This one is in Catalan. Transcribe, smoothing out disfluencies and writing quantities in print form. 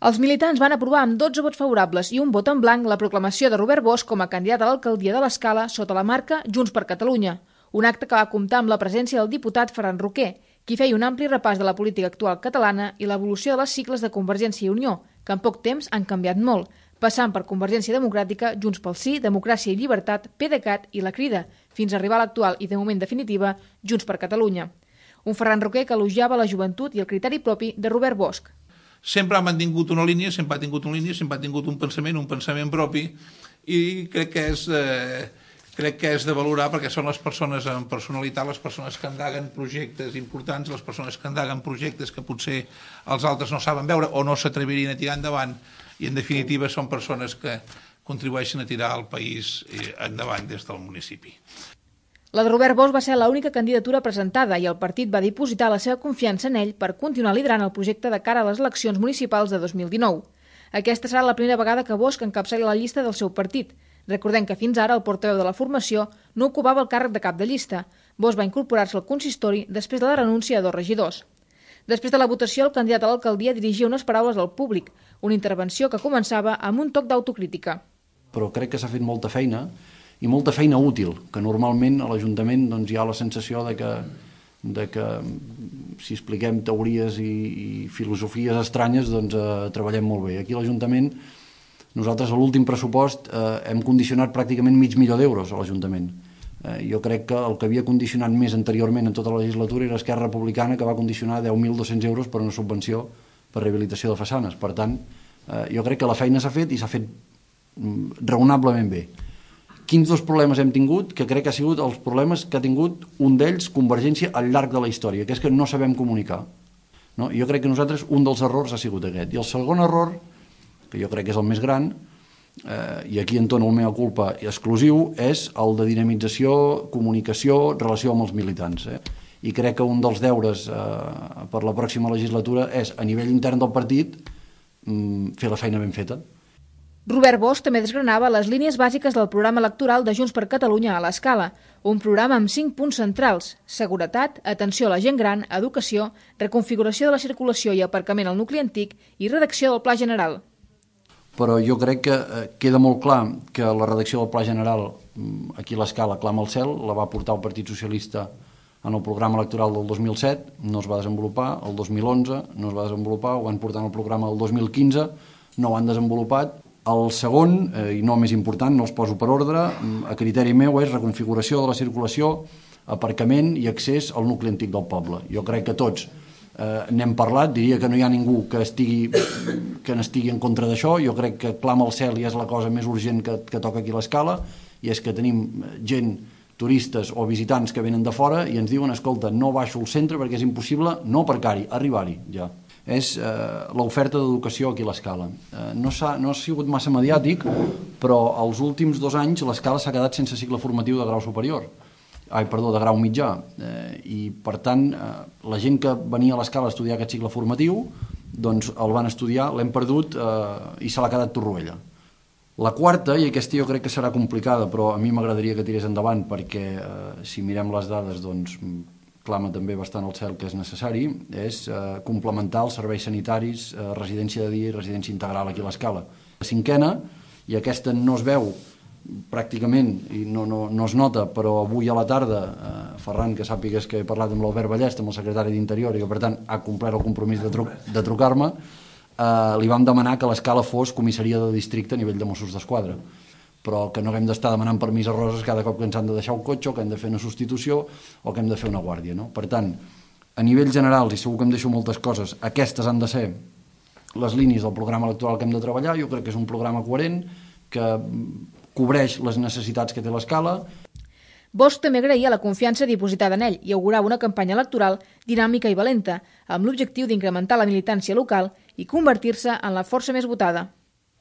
Els militants van aprovar amb 12 vots favorables i un vot en blanc la proclamació de Robert Bosch com a candidat a l'alcaldia de l'Escala sota la marca Junts per Catalunya, un acte que va comptar amb la presència del diputat Ferran Roquer, qui feia un ampli repàs de la política actual catalana i l'evolució de les sigles de Convergència i Unió, que en poc temps han canviat molt, passant per Convergència Democràtica, Junts pel Sí, Democràcia i Llibertat, PDeCAT i La Crida, fins a arribar a l'actual i de moment definitiva Junts per Catalunya. Un Ferran Roquer que elogiava la joventut i el criteri propi de Robert Bosch. Sempre ha mantingut una línia, sempre ha tingut una línia, sempre ha tingut un pensament propi, i crec que és de valorar perquè són les persones amb personalitat, les persones que endeguen projectes importants, les persones que endeguen projectes que potser els altres no saben veure o no s'atrevirien a tirar endavant, i en definitiva són persones que contribueixen a tirar el país endavant des del municipi. La de Robert Bosch va ser l'única candidatura presentada i el partit va dipositar la seva confiança en ell per continuar liderant el projecte de cara a les eleccions municipals de 2019. Aquesta serà la primera vegada que Bosch encapçali la llista del seu partit. Recordem que fins ara el portaveu de la formació no ocupava el càrrec de cap de llista. Bosch va incorporar-se al consistori després de la renúncia a 2 regidors. Després de la votació, el candidat a l'alcaldia dirigia unes paraules al públic, una intervenció que començava amb un toc d'autocrítica. Però crec que s'ha fet molta feina, i molta feina útil, que normalment a l'Ajuntament hi ha la sensació de que si expliquem teories i filosofies estranyes treballem molt bé. Aquí a l'Ajuntament, nosaltres a l'últim pressupost hem condicionat pràcticament $500.000 a l'Ajuntament. Jo crec que el que havia condicionat més anteriorment en tota la legislatura era Esquerra Republicana, que va condicionar €10.200 per una subvenció per rehabilitació de façanes. Per tant, jo crec que la feina s'ha fet i s'ha fet raonablement bé. Quins 2 problemes hem tingut? Que crec que ha sigut els problemes que ha tingut un d'ells, Convergència, al llarg de la història, que és que no sabem comunicar. Jo crec que nosaltres un dels errors ha sigut aquest. I el segon error, que jo crec que és el més gran, i aquí entono el mea culpa exclusiu, és el de dinamització, comunicació, relació amb els militants. I crec que un dels deures per la pròxima legislatura és, a nivell intern del partit, fer la feina ben feta. Robert Bosch també desgranava les línies bàsiques del programa electoral de Junts per Catalunya a l'Escala, un programa amb 5 punts centrals: seguretat, atenció a la gent gran, educació, reconfiguració de la circulació i aparcament al nucli antic i redacció del Pla General. Però jo crec que queda molt clar que la redacció del Pla General aquí a l'Escala clama al cel, la va portar el Partit Socialista en el programa electoral del 2007, no es va desenvolupar, el 2011 no es va desenvolupar, ho van portar en el programa del 2015, no ho han desenvolupat. El segon, i no més important, no els poso per ordre, a criteri meu és reconfiguració de la circulació, aparcament i accés al nucli antic del poble. Jo crec que tots n'hem parlat, diria que no hi ha ningú que n'estigui en contra d'això. Jo crec que clama al cel i és la cosa més urgent que toca aquí a l'Escala, i és que tenim gent, turistes o visitants que venen de fora i ens diuen, escolta, no baixo al centre perquè és impossible no aparcar-hi, arribar-hi ja. És l'oferta d'educació aquí a l'Escala. No ha sigut massa mediàtic, però els últims 2 anys l'Escala s'ha quedat sense cicle formatiu de grau superior, de grau mitjà, i per tant la gent que venia a l'Escala a estudiar aquest cicle formatiu doncs el van estudiar, l'hem perdut i se l'ha quedat Torroella. La quarta, i aquesta jo crec que serà complicada, però a mi m'agradaria que tirés endavant perquè si mirem les dades doncs clama també bastant al cel que és necessari, és complementar els serveis sanitaris, residència de dia i residència integral aquí a l'Escala. La 5a, i aquesta no es veu pràcticament i no es nota, però avui a la tarda, Ferran, que sàpigues que he parlat amb l'Albert Ballest, amb el secretari d'Interior, i que per tant ha complert el compromís de trucar-me, li vam demanar que l'Escala fos comissaria de districte a nivell de Mossos d'Esquadra, però que no haguem d'estar demanant permís a Roses cada cop que ens han de deixar un cotxe o que hem de fer una substitució o que hem de fer una guàrdia. Per tant, a nivell general, i segur que em deixo moltes coses, aquestes han de ser les línies del programa electoral que hem de treballar. Jo crec que és un programa coherent que cobreix les necessitats que té l'Escala. Bosch també agraïa la confiança dipositada en ell i augurava una campanya electoral dinàmica i valenta, amb l'objectiu d'incrementar la militància local i convertir-se en la força més votada.